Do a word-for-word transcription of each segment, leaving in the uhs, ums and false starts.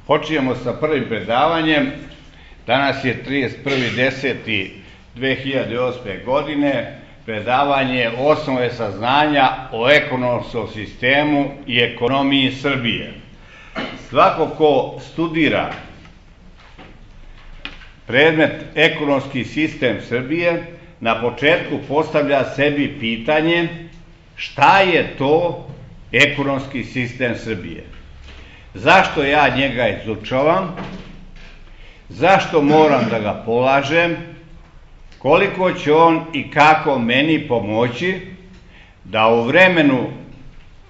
Počinjemo sa prvim predavanjem. Danas je trideset prvi deseti dve hiljade osme. godine. Predavanje osnove saznanja o ekonomskom sistemu i ekonomiji Srbije. Svako ko studira predmet ekonomski sistem Srbije, na početku postavlja sebi pitanje šta je to ekonomski sistem Srbije. Zašto ja njega izučavam? Zašto moram da ga polažem? Koliko će on i kako meni pomoći da u vremenu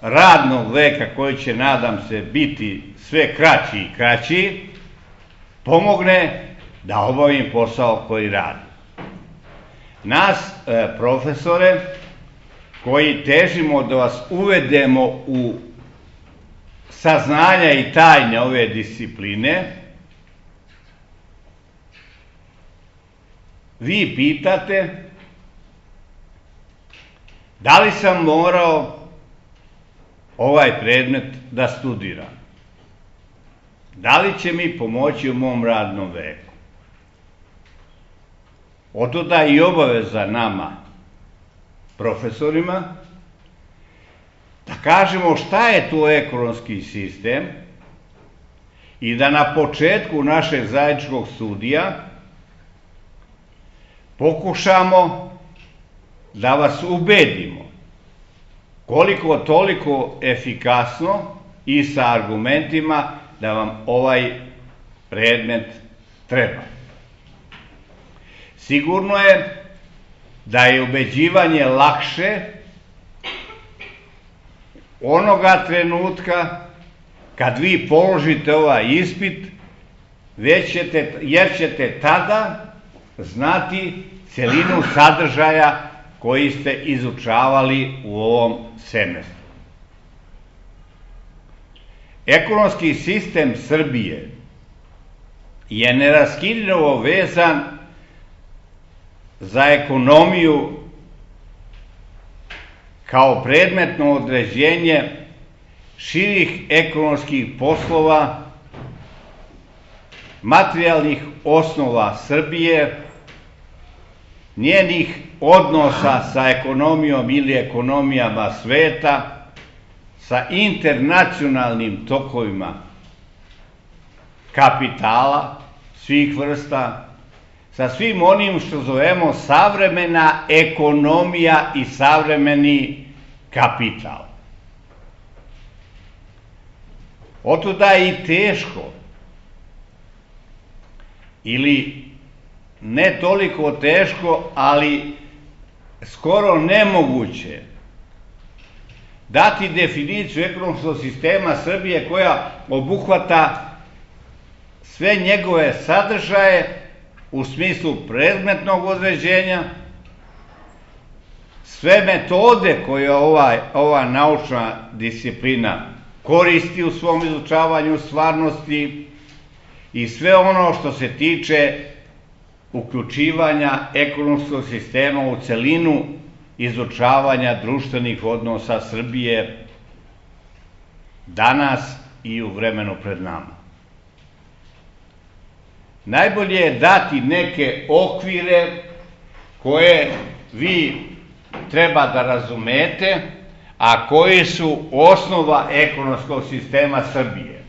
radnog veka, koji će, nadam se, biti sve kraći i kraći, pomogne da obavim posao koji radim. Nas, e, profesore, koji težimo da vas uvedemo u saznanja i tajne ove discipline, vi pitate da li sam morao ovaj predmet da studiram? Da li će mi pomoći u mom radnom veku? Otuda i obaveza nama, profesorima, da kažemo šta je to ekonomski sistem i da na početku našeg zajedničkog studija pokušamo da vas ubedimo koliko toliko efikasno i sa argumentima da vam ovaj predmet treba. Sigurno je da je ubeđivanje lakše onoga trenutka kad vi položite ovaj ispit, već ćete, jer ćete tada znati celinu sadržaja koji ste izučavali u ovom semestru. Ekonomski sistem Srbije je neraskidivo vezan za ekonomiju kao predmetno određenje širih ekonomskih poslova, materijalnih osnova Srbije, njenih odnosa sa ekonomijom ili ekonomijama sveta, sa internacionalnim tokovima kapitala svih vrsta, sa svim onim što zovemo savremena ekonomija i savremeni kapital. Otuda je i teško, ili ne toliko teško, ali skoro nemoguće dati definiciju ekonomskog sistema Srbije koja obuhvata sve njegove sadržaje u smislu predmetnog određenja, sve metode koje ova, ova naučna disciplina koristi u svom izučavanju stvarnosti i sve ono što se tiče uključivanja ekonomskog sistema u celinu izučavanja društvenih odnosa Srbije danas i u vremenu pred nama. Najbolje je dati neke okvire koje vi treba da razumete, a koji su osnova ekonomskog sistema Srbije.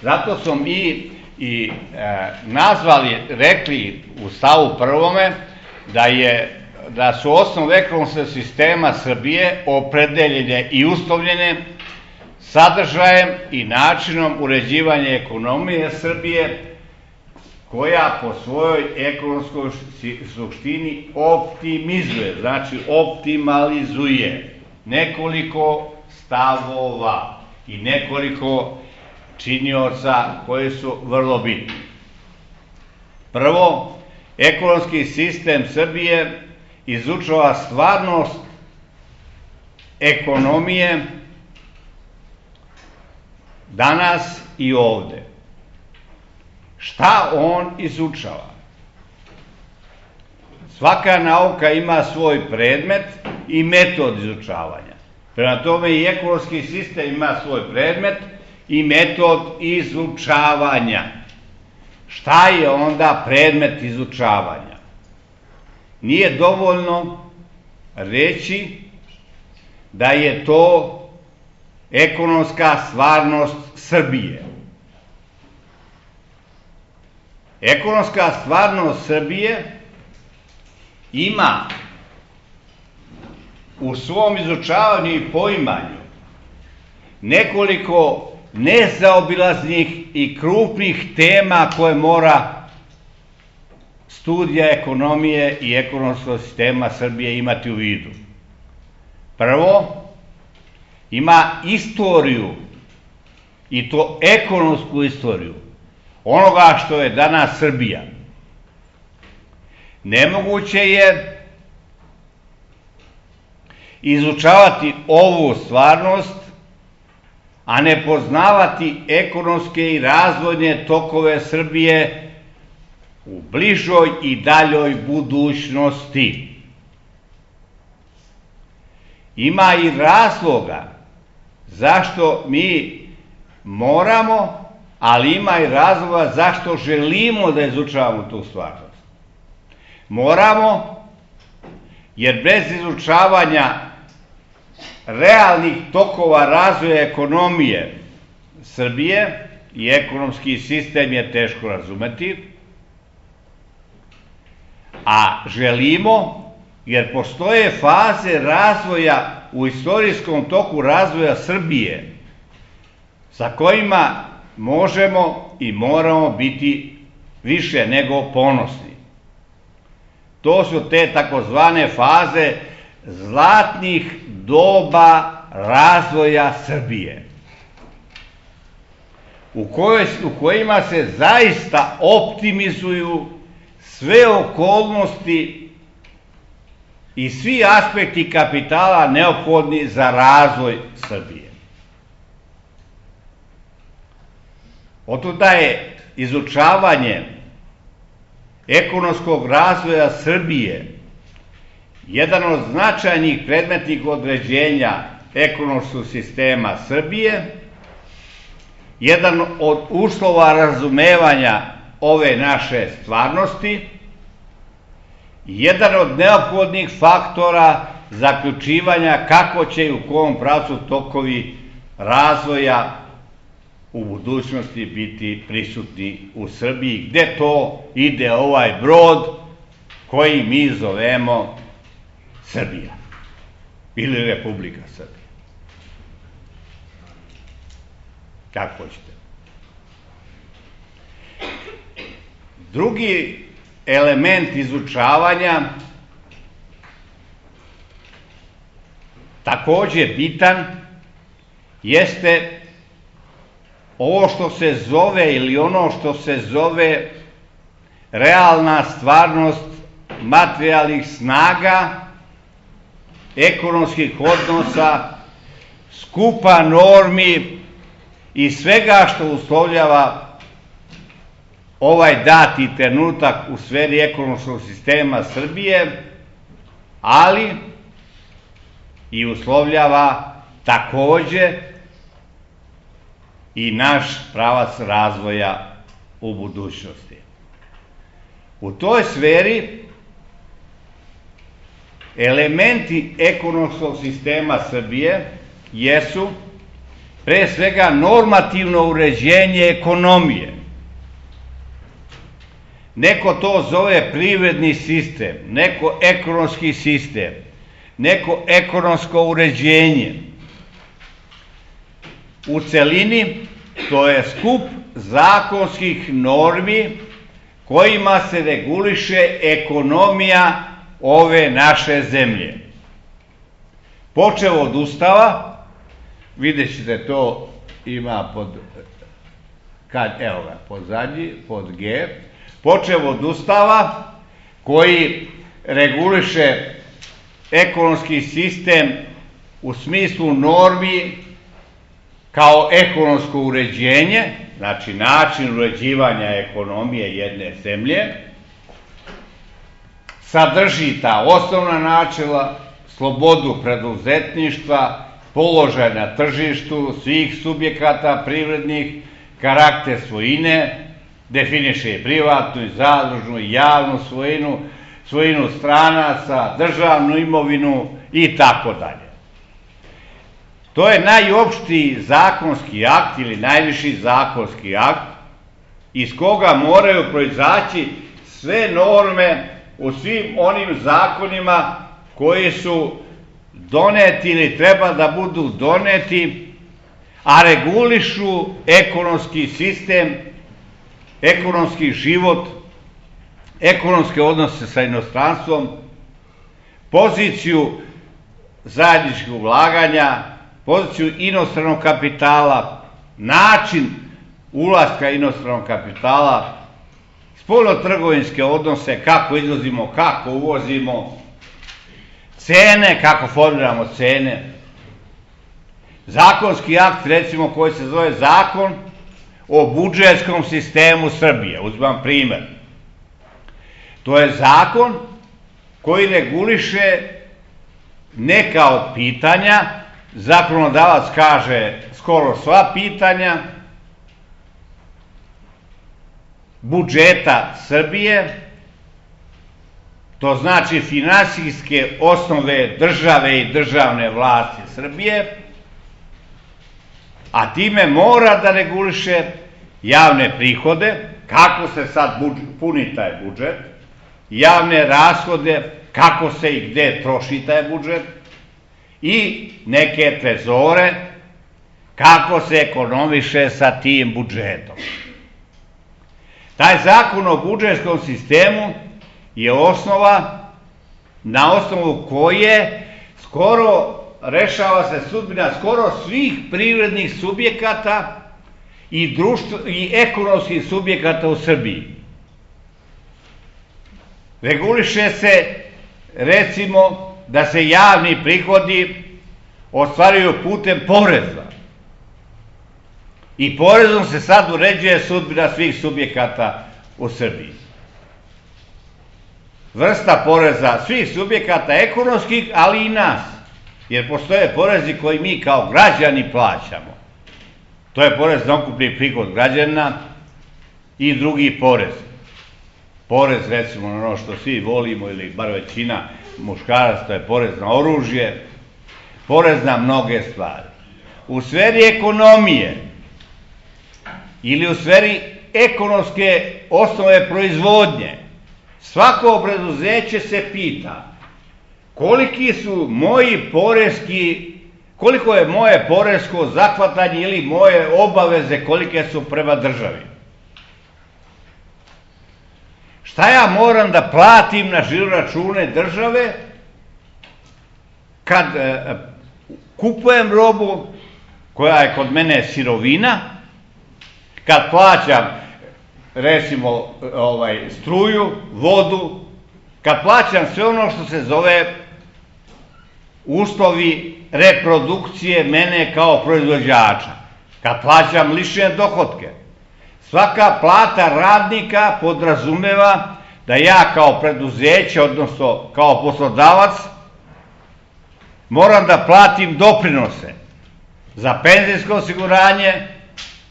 Zato smo mi i e, nazvali, rekli u stavu prvome da je da su osnove ekonomskog sistema Srbije opredeljene i uslovljene sadržajem i načinom uređivanja ekonomije Srbije, koja po svojoj ekonomskoj suštini optimizuje, znači optimalizuje nekoliko stavova i nekoliko činioca koji su vrlo bitni. Prvo, ekonomski sistem Srbije izučava stvarnost ekonomije danas i ovde. Šta on izučava? Svaka nauka ima svoj predmet i metod izučavanja. Prema tome i ekonomski sistem ima svoj predmet i metod izučavanja. Šta je onda predmet izučavanja? Nije dovoljno reći da je to ekonomska stvarnost Srbije. Ekonomska stvarnost Srbije ima u svom izučavanju i poimanju nekoliko nezaobilaznih i krupnih tema koje mora studija ekonomije i ekonomskog sistema Srbije imati u vidu. Prvo, ima istoriju, i to ekonomsku istoriju, onoga što je danas Srbija. Nemoguće je izučavati ovu stvarnost, a ne poznavati ekonomske i razvojne tokove Srbije u bližoj i daljoj budućnosti. Ima i razloga zašto mi moramo, ali ima i razloga zašto želimo da izučavamo tu stvarnost. Moramo, jer bez izučavanja realnih tokova razvoja ekonomije Srbije i ekonomski sistem je teško razumeti, a želimo, jer postoje faze razvoja u istorijskom toku razvoja Srbije sa kojima možemo i moramo biti više nego ponosni. To su te takozvane faze zlatnih doba razvoja Srbije, u, kojoj, u kojima se zaista optimizuju sve okolnosti i svi aspekti kapitala neophodni za razvoj Srbije. Otuda je izučavanje ekonomskog razvoja Srbije jedan od značajnih predmetnih određenja ekonomskog sistema Srbije, jedan od uslova razumevanja ove naše stvarnosti, jedan od neophodnih faktora zaključivanja kako će i u kom pravcu tokovi razvoja u budućnosti biti prisutni u Srbiji, gde to ide ovaj brod koji mi zovemo Srbija ili Republika Srbija. Kako hoćete. Drugi element izučavanja, takođe bitan, jeste ovo što se zove ili ono što se zove realna stvarnost materijalnih snaga, ekonomskih odnosa, skupa normi i svega što uslovljava ovaj dati trenutak u sferi ekonomskog sistema Srbije, ali i uslovljava takođe i naš pravac razvoja u budućnosti. U toj sferi elementi ekonomskog sistema Srbije jesu pre svega normativno uređenje ekonomije. Neko to zove privredni sistem, neko ekonomski sistem, neko ekonomsko uređenje. U celini to je skup zakonskih normi kojima se reguliše ekonomija ove naše zemlje. Počev od Ustava, vidjet ćete to ima pod, kad, evo ga, pod zadnji, pod G, počev od Ustava koji reguliše ekonomski sistem u smislu normi kao ekonomsko uređenje, znači način uređivanja ekonomije jedne zemlje, sadrži ta osnovna načela, slobodu preduzetništva, položaj na tržištu svih subjekata privrednih, karakter svojine, definiše i privatnu, i zadružnu, i javnu svojinu, svojinu stranaca, državnu imovinu i tako dalje. To je najopštiji zakonski akt ili najviši zakonski akt iz koga moraju proizaći sve norme u svim onim zakonima koji su doneti ili treba da budu doneti, a regulišu ekonomski sistem, ekonomski život, ekonomske odnose sa inostranstvom, poziciju zajedničkog ulaganja, poziciju inostranog kapitala, način ulaska inostranog kapitala, spoljnotrgovinske odnose, kako izvozimo, kako uvozimo, cene, kako formiramo cene. Zakonski akt, recimo, koji se zove Zakon o budžetskom sistemu Srbije. Uzmem primer. To je zakon koji reguliše neka od pitanja, zakonodavac kaže skoro sva pitanja budžeta Srbije, to znači finansijske osnove države i državne vlasti Srbije, a time mora da reguliše javne prihode, kako se sad puni taj budžet, javne rashode, kako se i gde troši taj budžet, i neke trezore, kako se ekonomiše sa tim budžetom. Taj zakon o budžetskom sistemu je osnova na osnovu koje skoro rešava se sudbina skoro svih privrednih subjekata i, društvo, i ekonomskih subjekata u Srbiji. Reguliše se, recimo, da se javni prihodi ostvaruju putem poreza. I porezom se sad uređuje sudbina svih subjekata u Srbiji. Vrsta poreza svih subjekata ekonomskih, ali i nas. Jer postoje porezi koji mi kao građani plaćamo. To je porez na ukupni prihod građana i drugi porez. Porez, recimo, na ono što svi volimo, ili bar većina muškaraca, to je porez na oružje, porez na mnoge stvari. U sferi ekonomije ili u sferi ekonomske osnove proizvodnje, svako preduzeće se pita koliki su moji poreski, koliko je moje poresko zahvatanje ili moje obaveze kolike su prema državi. Šta ja moram da platim na žiro račune države kad e, kupujem robu koja je kod mene sirovina, kad plaćam, recimo, ovaj, struju, vodu, kad plaćam sve ono što se zove uslovi reprodukcije mene kao proizvođača, kad plaćam lične dohotke. Svaka plata radnika podrazumeva da ja kao preduzeće, odnosno kao poslodavac, moram da platim doprinose za penzijsko osiguranje,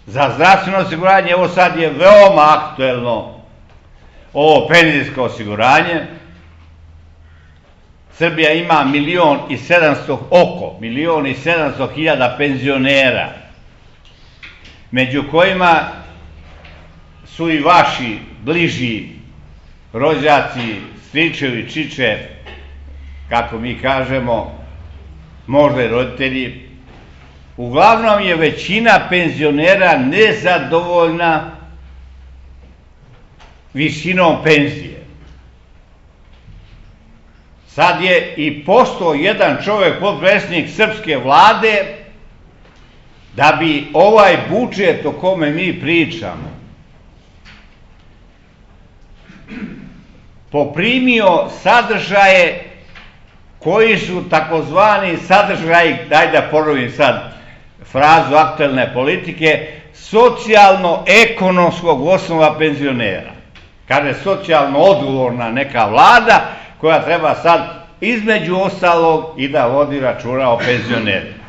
za zdravstveno osiguranje. Evo sad je veoma aktuelno ovo penzijsko osiguranje. Srbija ima milion i sedamsto, oko milion i sedamsto hiljada penzionera, među kojima su i vaši bliži rođaci, stričevi, čiče, kako mi kažemo, možda i roditelji. Uglavnom je većina penzionera nezadovoljna visinom penzije. Sad je i postao jedan čovjek, potpredsednik srpske vlade, da bi ovaj budžet o kome mi pričamo poprimio sadržaje koji su takozvani sadržaji, daj da ponovim sad frazu aktuelne politike, socijalno-ekonomskog osnova penzionera. Kaže socijalno odgovorna neka vlada koja treba sad između ostalog i da vodi računa o penzionerima.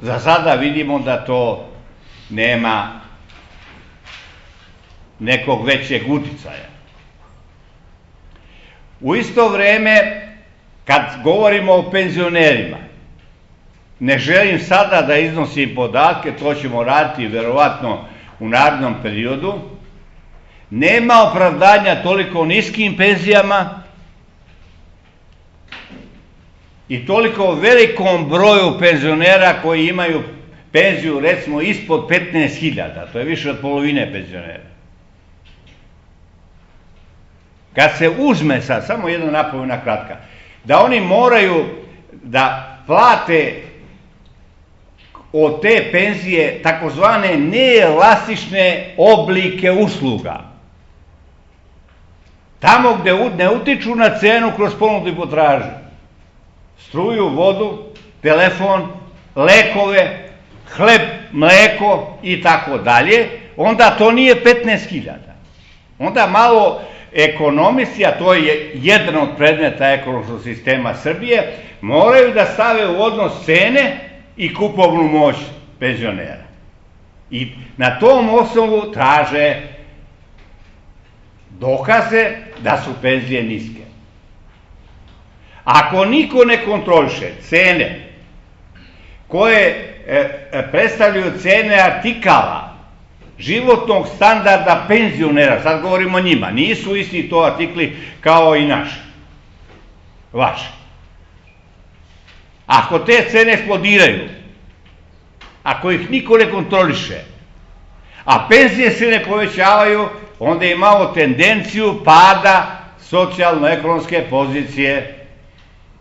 Za sada vidimo da to nema nekog većeg uticaja. U isto vreme, kad govorimo o penzionerima, ne želim sada da iznosim podatke, to ćemo raditi verovatno u narednom periodu, nema opravdanja toliko niskim penzijama i toliko velikom broju penzionera koji imaju penziju recimo ispod petnaest hiljada, to je više od polovine penzionera. Kad se uzme sad, samo jedna napomena kratka, da oni moraju da plate od te penzije takozvane neelastične oblike usluga. Tamo gde ne utiču na cenu kroz ponudu i potražnju. Struju, vodu, telefon, lekove, hleb, mleko i tako dalje, onda to nije petnaest hiljada. Onda malo ekonomisti, a to je jedan od predmeta ekonomskog sistema Srbije, moraju da stave u odnos cene i kupovnu moć penzionera. I na tom osnovu traže dokaze da su penzije niske. Ako niko ne kontroliše cene koje predstavljaju cene artikala životnog standarda penzionera, sad govorimo o njima, nisu isti to artikli kao i naši, vaši. Ako te cene eksplodiraju, ako ih niko ne kontroliše, a penzije se ne povećavaju, onda imamo tendenciju pada socijalno-ekonomske pozicije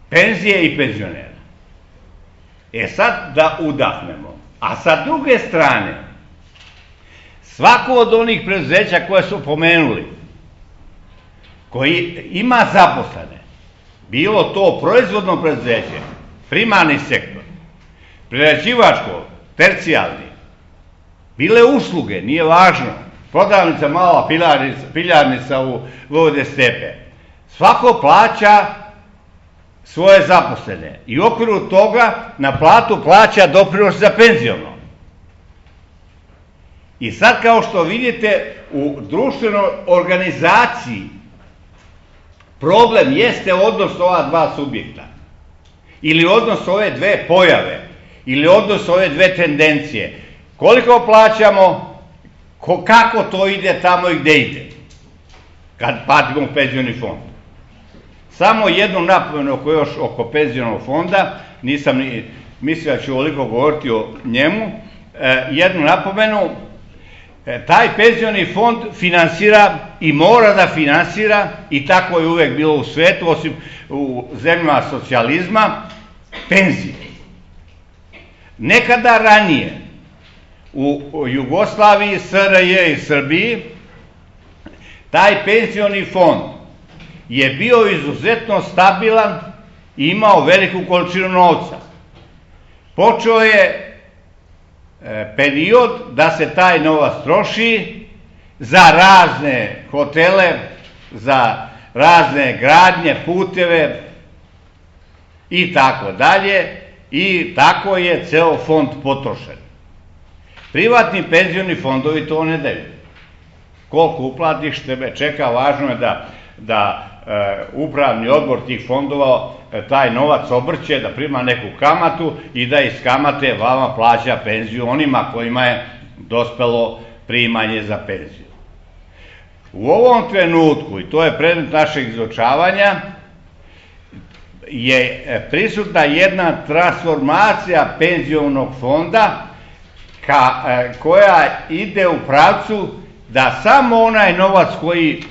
penzije i penzionera. E sad da udahnemo. A sa druge strane, svako od onih preduzeća koje su pomenuli, koji ima zaposlene, bilo to proizvodno preduzeće, primarni sektor, prerađivačko, tercijalni, bile usluge, nije važno, prodavnica mala, piljarnica u Vojvode Stepe, svako plaća svoje zaposlene i u okviru toga na platu plaća doprinos za penziono. I sad, kao što vidite, u društvenoj organizaciji problem jeste odnos ova dva subjekta, ili odnos ove dve pojave, ili odnos ove dve tendencije. Koliko plaćamo, kako to ide tamo i gde ide, kad platimo penzioni fond. Samo jednu napomenu oko još oko penzionog fonda, nisam ni mislio da ću ovoliko govoriti o njemu, jednu napomenu, taj penzioni fond finansira i mora da finansira, i tako je uvek bilo u svetu, osim u zemljama socijalizma, penzije. Nekada ranije, u Jugoslaviji, S R J i Srbiji, taj penzioni fond je bio izuzetno stabilan i imao veliku količinu novca. Počeo je period da se taj novac troši za razne hotele, za razne gradnje, puteve i tako dalje, i tako je ceo fond potrošen. Privatni penzioni fondovi to ne daju. Koliko uplatiš, tebe čeka, važno je da, da e, upravni odbor tih fondova e, taj novac obrće, da prima neku kamatu i da iz kamate vama plaća penziju onima kojima je dospelo primanje za penziju. U ovom trenutku, i to je predmet našeg izučavanja, je prisutna jedna transformacija penzionog fonda ka, e, koja ide u pravcu da samo onaj novac koji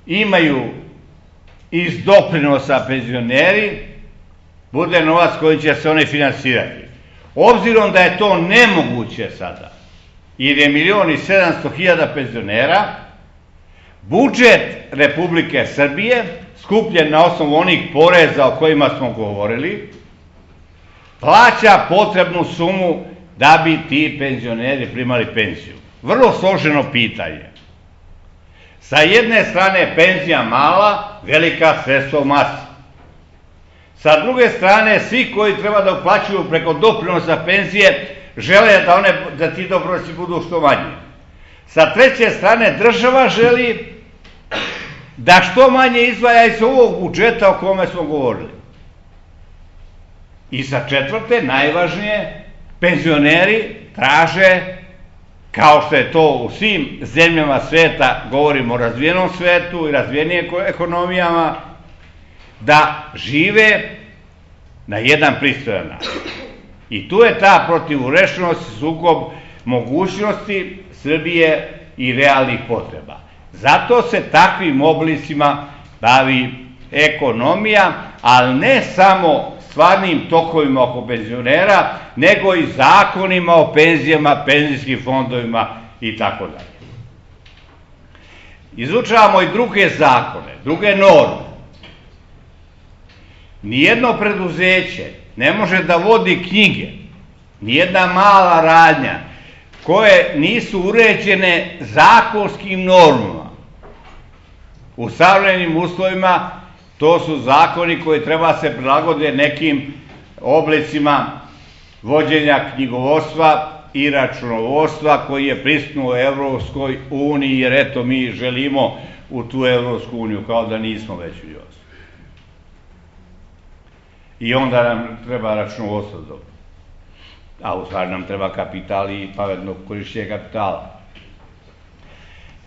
imaju iz doprinosa penzioneri bude novac koji će se oni finansirati. Obzirom da je to nemoguće sada, jer je milion i sedamsto hiljada penzionera, budžet Republike Srbije, skupljen na osnovu onih poreza o kojima smo govorili, plaća potrebnu sumu da bi ti penzioneri primali penziju. Vrlo složeno pitanje. Sa jedne strane penzija mala, velika sredstva u masi. Sa druge strane, svi koji treba da uplaćuju preko doprinosa penzije, žele da, one, da ti doprinosi budu što manji. Sa treće strane, država želi da što manje izdvaja iz ovog budžeta o kome smo govorili. I sa četvrte, najvažnije, penzioneri traže, kao što je to u svim zemljama sveta, govorimo o razvijenom svetu i razvijenijim ekonomijama, da žive na jedan pristojan način. I tu je ta protivurečenost, sukob mogućnosti Srbije i realnih potreba. Zato se takvim oblicima bavi ekonomija, ali ne samo stvarnim tokovima oko penzionera, nego i zakonima o penzijama, penzijskim fondovima i tako dalje. Izučavamo i druge zakone, druge norme. Nijedno preduzeće ne može da vodi knjige, nijedna mala radnja, koje nisu uređene zakonskim normama. U savremenim uslovima to su zakoni koji treba se prilagode nekim oblicima vođenja knjigovodstva i računovodstva koji je prisutno u Evropskoj uniji, jer eto mi želimo u tu Evropsku uniju, kao da nismo već u njoj. I onda nam treba računovodstvo dobro. A u stvari nam treba kapital i pametno korišćenje kapitala.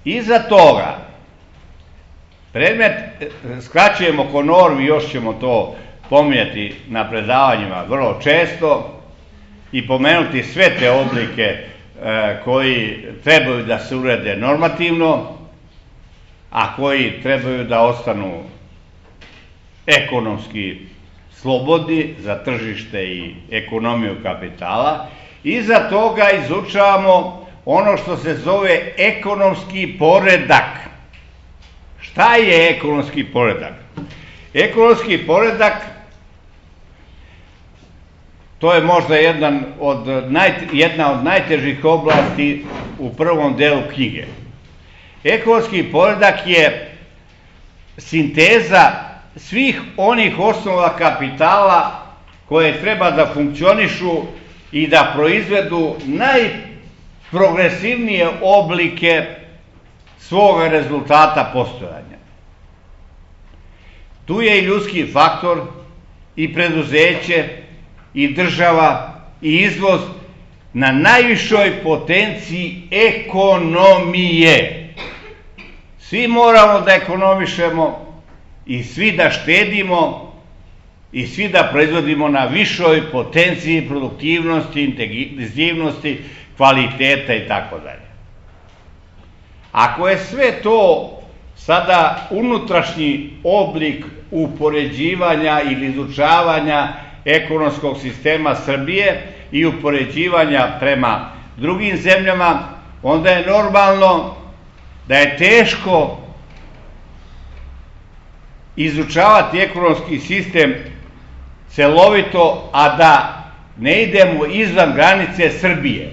Iza toga, predmet, skraćujemo ko normi, još ćemo to pominjati na predavanjima vrlo često i pomenuti sve te oblike e, koji trebaju da se urede normativno, a koji trebaju da ostanu ekonomski slobodni za tržište i ekonomiju kapitala. Iza toga izučavamo ono što se zove ekonomski poredak. Šta je ekonomski poredak? Ekonomski poredak, to je možda jedan od naj, jedna od najtežih oblasti u prvom delu knjige. Ekonomski poredak je sinteza svih onih osnova kapitala koje treba da funkcionišu i da proizvedu najprogresivnije oblike svoga rezultata postojanja. Tu je i ljudski faktor, i preduzeće, i država, i izvoz na najvišoj potenciji ekonomije. Svi moramo da ekonomišemo i svi da štedimo i svi da proizvodimo na višoj potenciji produktivnosti, intenzivnosti, kvaliteta i tako dalje. Ako je sve to sada unutrašnji oblik upoređivanja ili izučavanja ekonomskog sistema Srbije i upoređivanja prema drugim zemljama, onda je normalno da je teško izučavati ekonomski sistem celovito, a da ne idemo izvan granice Srbije.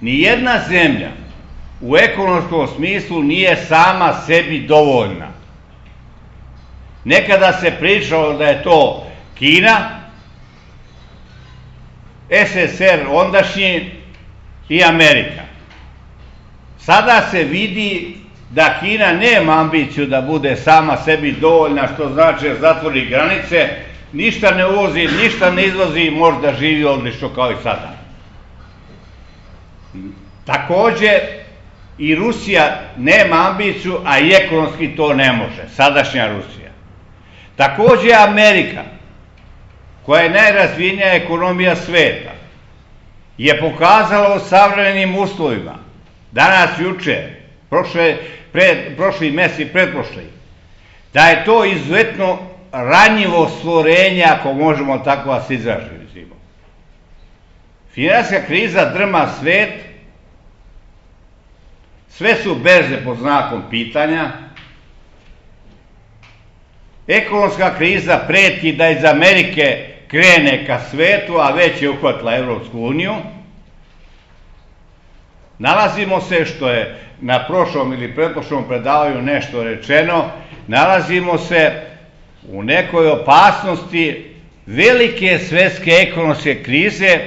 Nijedna zemlja u ekonomskom smislu nije sama sebi dovoljna. Nekada se pričalo da je to Kina, S S R ondašnji i Amerika. Sada se vidi da Kina nema ambiciju da bude sama sebi dovoljna, što znači da zatvori granice, ništa ne uvozi, ništa ne izvozi i može da živi odlično kao i sada. Takođe, i Rusija nema ambiciju, a i ekonomski to ne može, sadašnja Rusija. Takođe, Amerika, koja je najrazvijenija ekonomija sveta, je pokazala u savremenim uslovima, danas, juče, prošle, pred, prošli mesec i pretprošli, da je to izuzetno ranjivo stvorenje, ako možemo tako da se izražimo. Finansijska kriza drma svet, sve su berze pod znakom pitanja, ekonomska kriza preti da iz Amerike krene ka svetu, a već je uhvatila Evropsku uniju. Nalazimo se, što je na prošlom ili pretprošlom predavanju nešto rečeno, nalazimo se u nekoj opasnosti velike svetske ekonomske krize,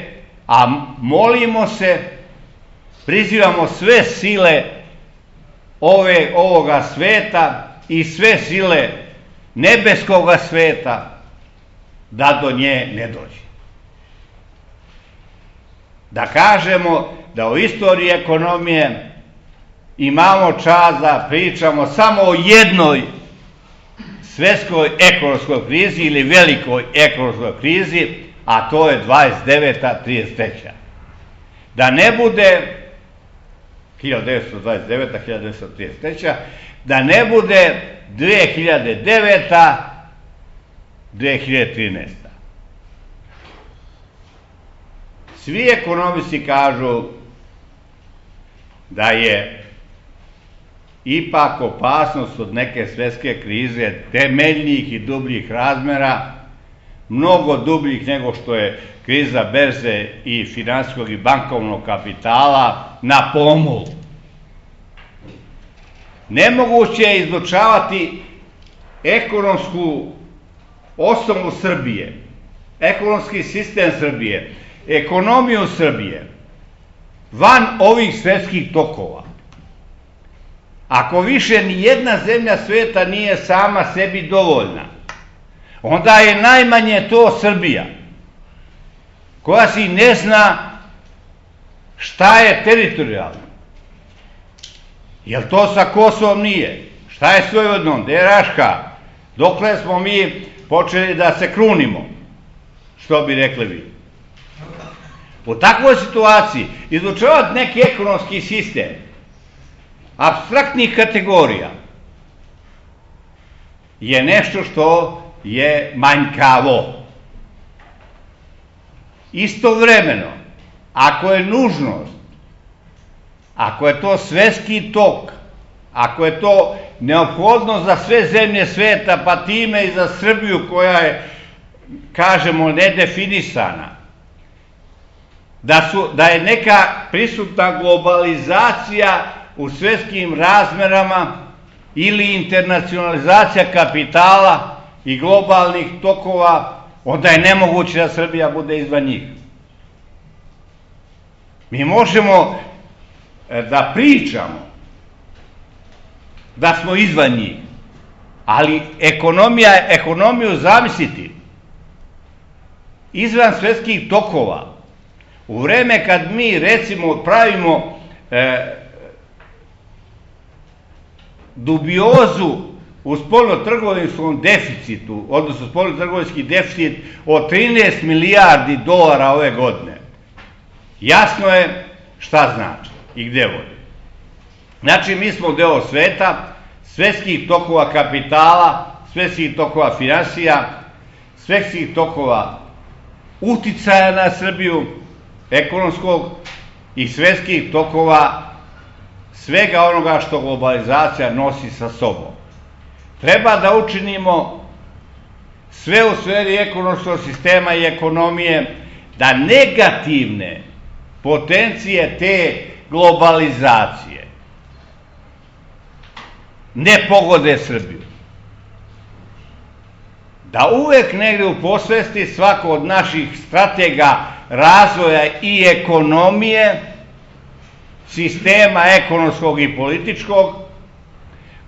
a molimo se, prizivamo sve sile ove, ovoga sveta i sve sile nebeskoga sveta da do nje ne dođe. Da kažemo da u istoriji ekonomije imamo čast da pričamo samo o jednoj svetskoj ekonomskoj krizi ili velikoj ekonomskoj krizi, a to je dvadeset deveta trideset treća. Da ne bude hiljadu devetsto dvadeset deveta hiljadu devetsto trideset treća, da ne bude dve hiljade deveta dve hiljade trinaesta. Svi ekonomisti kažu da je ipak opasnost od neke svetske krize temeljnih i dubljih razmera, mnogo dubljih nego što je kriza berze i finansijskog i bankovnog kapitala, na pomolu. Nemoguće je izučavati ekonomsku osnovu Srbije, ekonomski sistem Srbije, ekonomiju Srbije, van ovih svetskih tokova. Ako više ni jedna zemlja sveta nije sama sebi dovoljna, onda je najmanje to Srbija, koja si ne zna šta je teritorijalno. Jel to sa Kosovom nije? Šta je s Vojvodinom? Gde je Raška? Dokle smo mi počeli da se krunimo? Što bi rekli vi? U takvoj situaciji izučavati neki ekonomski sistem apstraktnih kategorija je nešto što je manjkavo. Istovremeno, ako je nužnost, ako je to svetski tok, ako je to neophodno za sve zemlje sveta, pa time i za Srbiju koja je, kažemo, nedefinisana, da, su, da je neka prisutna globalizacija u svetskim razmerama ili internacionalizacija kapitala i globalnih tokova, onda je nemoguće da Srbija bude izvan njih. Mi možemo da pričamo da smo izvan njih, ali ekonomija, ekonomiju zamisliti izvan svetskih tokova, u vreme kad mi recimo pravimo e, dubiozu u spoljnotrgovinskom deficitu, odnosno spoljnotrgovinski deficit od trinaest milijardi dolara ove godine, jasno je šta znači i gde vodi. Znači, mi smo deo sveta, svetskih tokova kapitala, svetskih tokova finansija, svetskih tokova uticaja na Srbiju, ekonomskog i svetskih tokova svega onoga što globalizacija nosi sa sobom. Treba da učinimo sve u sferi ekonomskog sistema i ekonomije da negativne potencije te globalizacije ne pogode Srbiju. Da uvek negde u posvesti svako od naših stratega razvoja i ekonomije, sistema ekonomskog i političkog,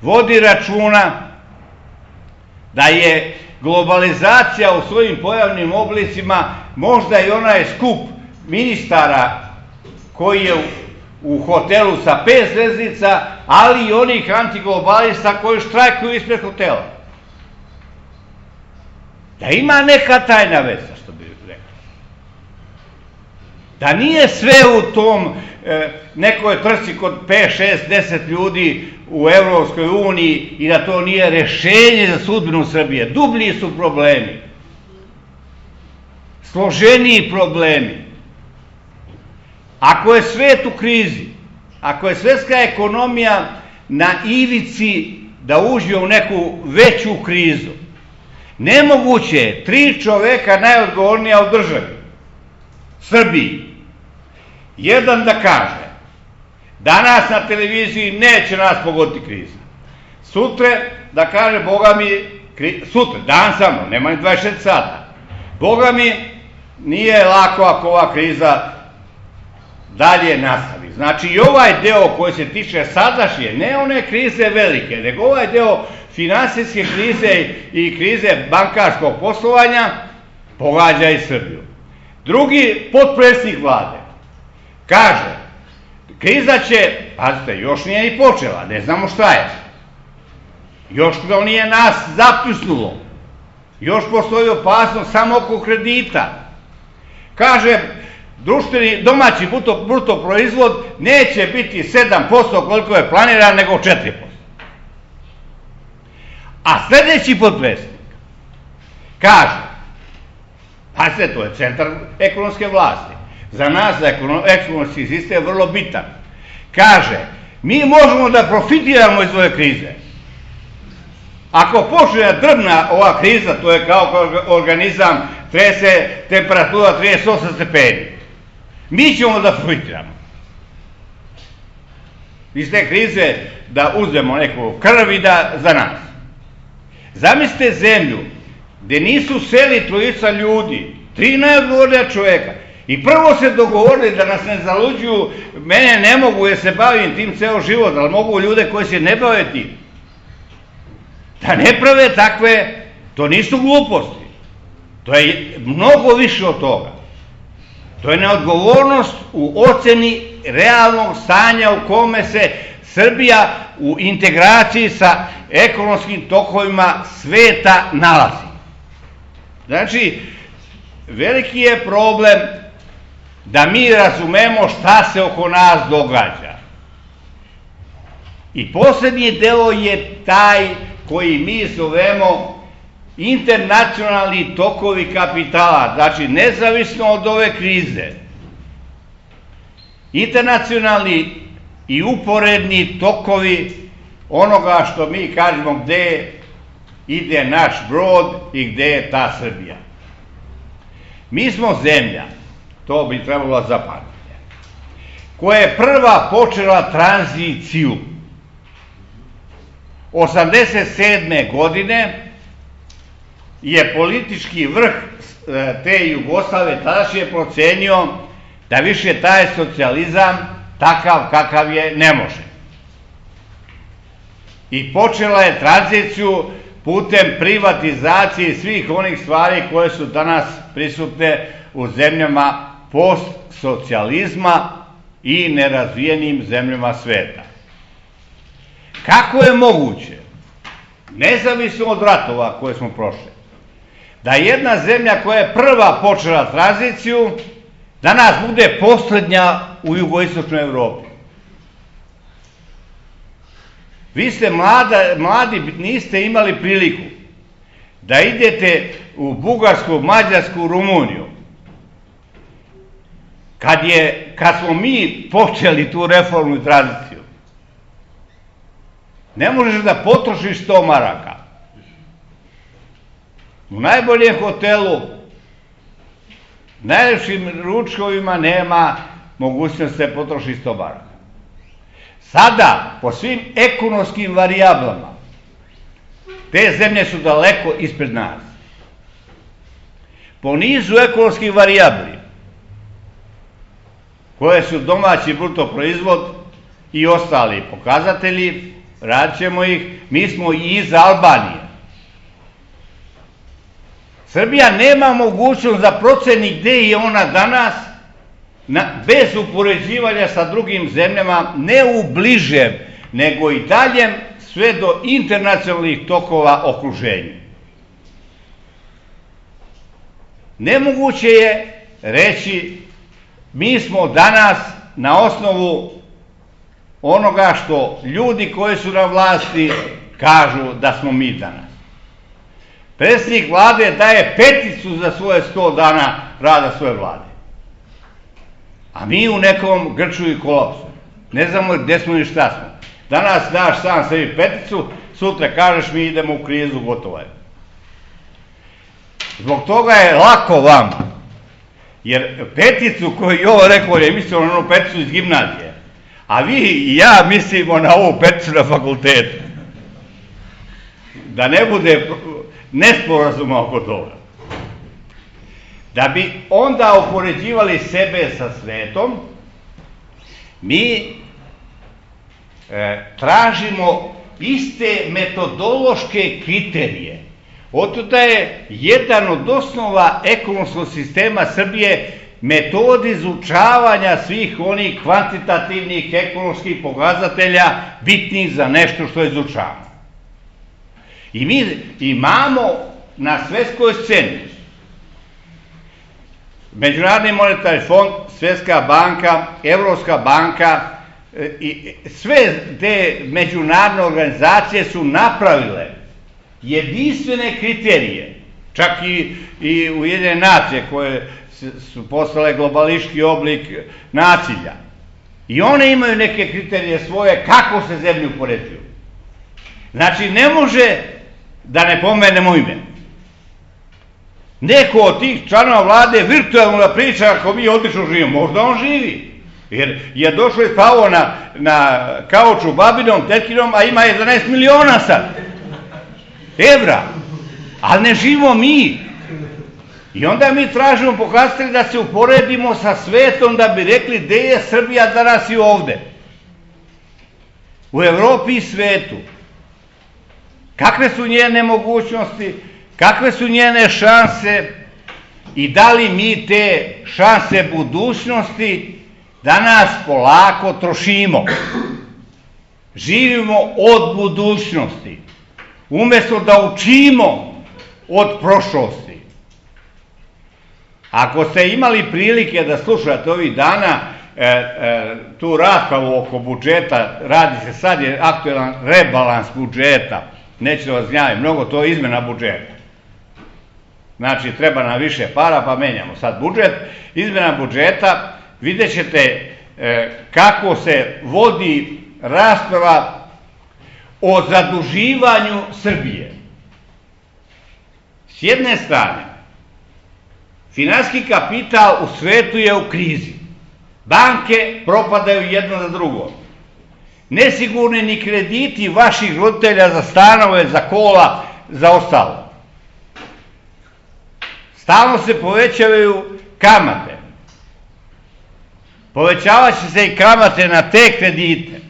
vodi računa da je globalizacija u svojim pojavnim oblicima možda i onaj skup ministara koji je u hotelu sa pet zvezdica, ali i onih antiglobalista koji štrajkuju ispred hotela. Da ima neka tajna veza, što bi rekao. Da nije sve u tom e, nekoj trci kod pet, šest, deset ljudi u Evropskoj uniji i da to nije rešenje za sudbinu Srbije. Dublji su problemi. Složeniji problemi. Ako je svet u krizi, ako je svetska ekonomija na ivici da uđe u neku veću krizu, nemoguće je tri čoveka najodgovornija u državi, Srbiji, jedan da kaže danas na televiziji neće nas pogoditi kriza, sutra da kaže Boga mi sutra, dan samo, nema ni dvadeset četiri sata. Boga mi, nije lako ako ova kriza dalje nastavi. Znači i ovaj deo koji se tiče sadašnje, ne one krize velike, nego ovaj deo finansijske krize i krize bankarskog poslovanja pogađa i Srbiju. Drugi potpredsjednik vlade kaže, kriza će, pazite, još nije ni počela, ne znamo šta je. Još to nije nas zapljusnulo. Još postoji opasnost samo oko kredita. Kaže, društveni domaći bruto, bruto proizvod neće biti sedam posto koliko je planiran, nego četiri posto. A sljedeći potpredsjednik kaže, pazite, to je centar ekonomske vlasti. Za nas, za ekonomski sistem je vrlo bitan. Kaže, mi možemo da profitiramo iz ove krize. Ako počne drvna ova kriza, to je kao organizam, trese temperatura trideset osam stepeni. Mi ćemo da profitiramo. Iz te krize da uzmemo neku krv i da za nas. Zamislite zemlju gde nisu seli trojica ljudi, tri najodgovornija čoveka, i prvo se dogovorili da nas ne zaluđuju, mene ne mogu jer se bavim tim ceo život, ali mogu ljude koji se ne bave tim. Da ne prave takve, to nisu gluposti. To je mnogo više od toga. To je neodgovornost u oceni realnog stanja u kome se Srbija u integraciji sa ekonomskim tokovima sveta nalazi. Znači, veliki je problem da mi razumemo šta se oko nas događa. I posljednji deo je taj koji mi zovemo internacionalni tokovi kapitala, znači nezavisno od ove krize. Internacionalni i uporedni tokovi onoga što mi kažemo gde ide naš brod i gde je ta Srbija. Mi smo zemlja, to bi trebalo zapamtiti, koja je prva počela tranziciju. osamdeset sedme godine je politički vrh te Jugoslavije tadašnje procenio da više taj socijalizam takav kakav je ne može. I počela je tranziciju putem privatizacije svih onih stvari koje su danas prisutne u zemljama postsocijalizma i nerazvijenim zemljama sveta. Kako je moguće, nezavisno od ratova koje smo prošli, da jedna zemlja koja je prva počela tranziciju danas bude poslednja u jugoistočnoj Evropi? Vi ste mlada, mladi, niste imali priliku da idete u Bugarsku, Mađarsku, Rumuniju. Kad, je, kad smo mi počeli tu reformu i tranziciju, ne možeš da potrošiš sto maraka. U najboljem hotelu, najlepšim ručkovima nema mogućnosti da se potroši sto maraka. Sada, po svim ekonomskim varijablama, te zemlje su daleko ispred nas. Po nizu ekonomskih varijabli, koje su domaći bruto proizvod i ostali pokazatelji, radit ćemo ih, mi smo i iza Albanije. Srbija nema mogućnost da proceni gde je ona danas, na, bez upoređivanja sa drugim zemljama, ne u bližem, nego i daljem, sve do internacionalnih tokova okruženja. Nemoguće je reći, mi smo danas na osnovu onoga što ljudi koji su na vlasti kažu da smo mi danas. Predsjednik vlade daje peticu za svoje sto dana rada svoje vlade. A mi u nekom grču i kolapsu. Ne znamo gde smo ni šta smo. Danas daš sam sebi peticu, sutra kažeš mi idemo u krizu, gotovo je. Zbog toga je lako vama. Jer peticu koju je ovo rekao je mislio na onu peticu iz gimnazije. A vi i ja mislimo na ovu peticu na fakultetu. Da ne bude nesporazuma oko toga. Da bi onda upoređivali sebe sa svetom, mi e, tražimo iste metodološke kriterije. Otuda je jedan od osnova ekonomskog sistema Srbije metod izučavanja svih onih kvantitativnih ekonomskih pokazatelja bitnih za nešto što izučavamo. I mi imamo na svetskoj sceni Međunarodni monetarni fond, Svetska banka, Evropska banka i sve te međunarodne organizacije su napravile jedinstvene kriterije, čak i, i Ujedinjene nacije koje su postale globalistički oblik nasilja. I one imaju neke kriterije svoje kako se zemlje upoređuju. Znači, ne može da ne pomenemo ime. Neko od tih članova vlade virtualno da priča ako mi odlično živimo. Možda on živi. Jer je došlo i spavo na, na kauču babinom, tetkinom, a ima jedanaest miliona sad. Evra. Ali ne živimo mi. I onda mi tražimo pokazatelji da se uporedimo sa svetom da bi rekli gde je Srbija danas i ovde. U Evropi i svetu. Kakve su njene mogućnosti, kakve su njene šanse i da li mi te šanse budućnosti danas polako trošimo. Živimo od budućnosti, umjesto da učimo od prošlosti. Ako ste imali prilike da slušate ovih dana e, e, tu raspravu oko budžeta, radi se sad je aktuelan rebalans budžeta, neće da vas gnjavi, mnogo to je izmena budžeta. Znači, treba nam više para, pa menjamo sad budžet. Izmena budžeta, vidjet ćete e, kako se vodi rasprava o zaduživanju Srbije. S jedne strane, finansijski kapital u svetu je u krizi. Banke propadaju jedno za drugo. Nesigurni ni krediti vaših roditelja za stanove, za kola, za ostalo. Stalno se povećavaju kamate. Povećavat će se i kamate na te kredite.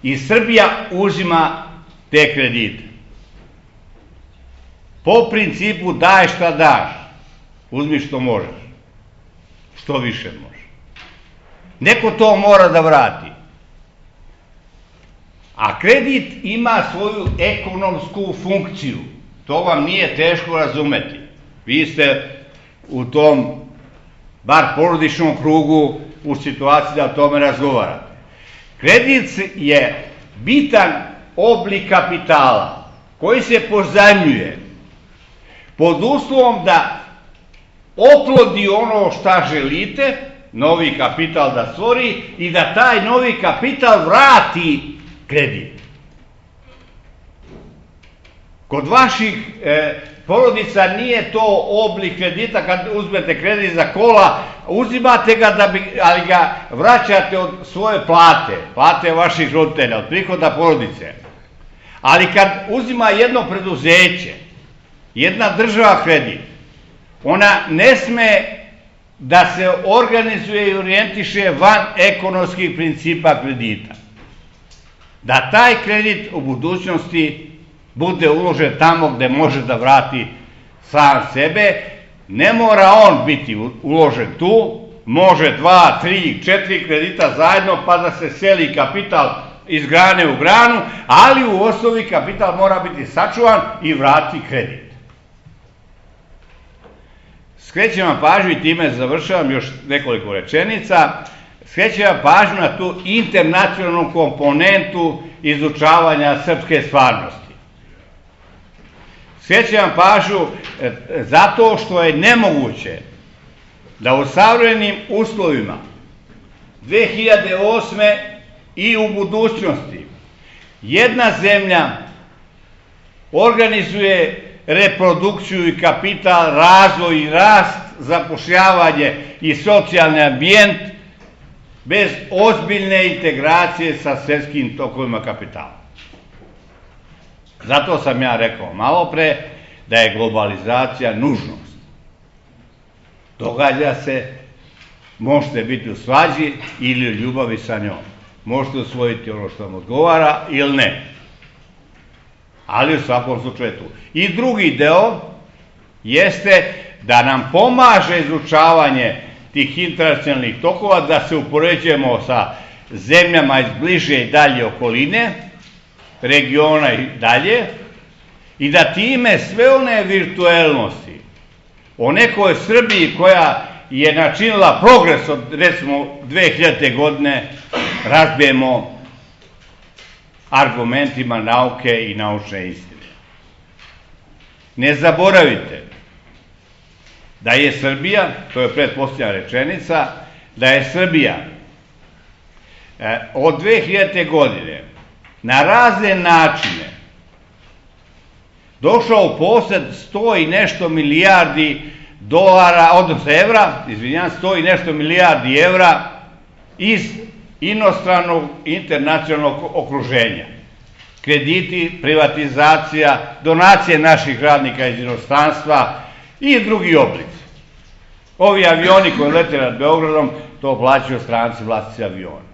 I Srbija uzima te kredite. Po principu daj šta daš. Uzmi što možeš. Što više možeš. Neko to mora da vrati. A kredit ima svoju ekonomsku funkciju. To vam nije teško razumeti. Vi ste u tom, bar porodičnom krugu, u situaciji da o tome razgovarate. Kredit je bitan oblik kapitala koji se pozajmljuje pod uslovom da oplodi ono šta želite, novi kapital da stvori i da taj novi kapital vrati kredit. Kod vaših e, porodica nije to oblik kredita, kad uzmete kredit za kola, uzimate ga, da bi, ali ga vraćate od svoje plate, plate vaših roditelja, od prihoda porodice. Ali kad uzima jedno preduzeće, jedna država kredit, ona ne sme da se organizuje i orijentiše van ekonomskih principa kredita. Da taj kredit u budućnosti bude uložen tamo gde može da vrati sam sebe, ne mora on biti uložen tu, može dva, tri, četiri kredita zajedno pa da se seli kapital iz grane u granu, ali u osnovi kapital mora biti sačuvan i vrati kredit. Skrećem vam pažnju i time završavam još nekoliko rečenica. Skrećem vam pažnju na tu internacionalnu komponentu izučavanja srpske stvarnosti. Skrećem vam pažnju zato što je nemoguće da u savremenim uslovima dve hiljade osme i u budućnosti jedna zemlja organizuje reprodukciju i kapital, razvoj i rast, zapošljavanje i socijalni ambijent bez ozbiljne integracije sa svetskim tokovima kapitala. Zato sam ja rekao malo pre da je globalizacija nužnost. Događa se, možete biti u svađi ili u ljubavi sa njom. Možete usvojiti ono što vam odgovara ili ne. Ali u svakom slučaju tu. I drugi deo jeste da nam pomaže izučavanje tih internacionalnih tokova, da se upoređujemo sa zemljama iz bliže i dalje okoline, regiona i dalje, i da time sve one virtuelnosti o nekoj Srbiji koja je načinila progres od, recimo, dve hiljadite. godine, razbijemo argumentima nauke i naučne istine. Ne zaboravite da je Srbija, to je pretpostavljena rečenica, da je Srbija eh, od dve hiljadite. godine na razne načine došao u posed sto i nešto milijardi dolara, odnosno evra, izvinjam, sto i nešto milijardi evra iz inostranog internacionalnog okruženja. Krediti, privatizacija, donacije naših radnika iz inostranstva i drugi oblici. Ovi avioni koji lete nad Beogradom, to plaćaju stranci vlasnici aviona.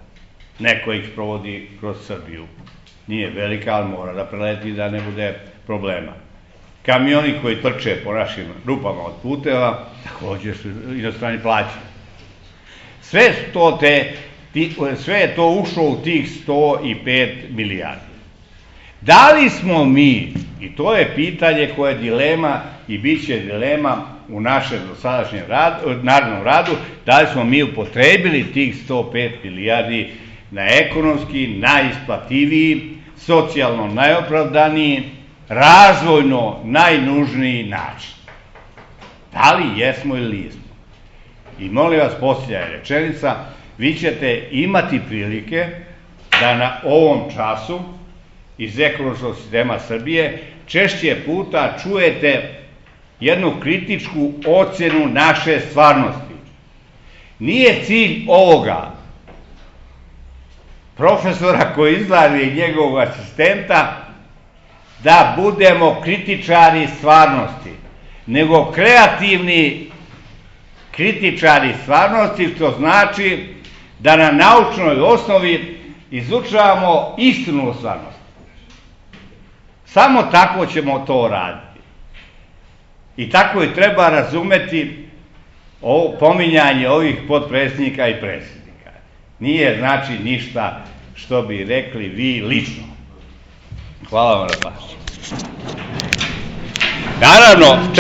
Neko ih provodi kroz Srbiju. Nije velika, ali mora da preleti da ne bude problema. Kamioni koji trče po našim rupama od puteva, također su inostrani plaćeni. Sve, to te, sve je to ušlo u tih sto i pet milijardi. Da li smo mi, i to je pitanje koje je dilema i bit će dilema u našem dosadašnjem radu, narednom radu, da li smo mi upotrebili tih sto pet milijardi na ekonomski najisplativiji, socijalno najopravdaniji, razvojno najnužniji način. Da li jesmo ili nismo? I molim vas, posljednja rečenica, vi ćete imati prilike da na ovom času iz ekonomskog sistema Srbije češće puta čujete jednu kritičku ocjenu naše stvarnosti. Nije cilj ovoga profesora koji izlazi i njegovog asistenta da budemo kritičari stvarnosti, nego kreativni kritičari stvarnosti, što znači da na naučnoj osnovi izučavamo istinu o stvarnosti. Samo tako ćemo to raditi. I tako i treba razumeti ovo pominjanje ovih potpredsjednika i predsjednika. Nije znači ništa što bi rekli vi lično. Hvala vam na pažnji. Naravno,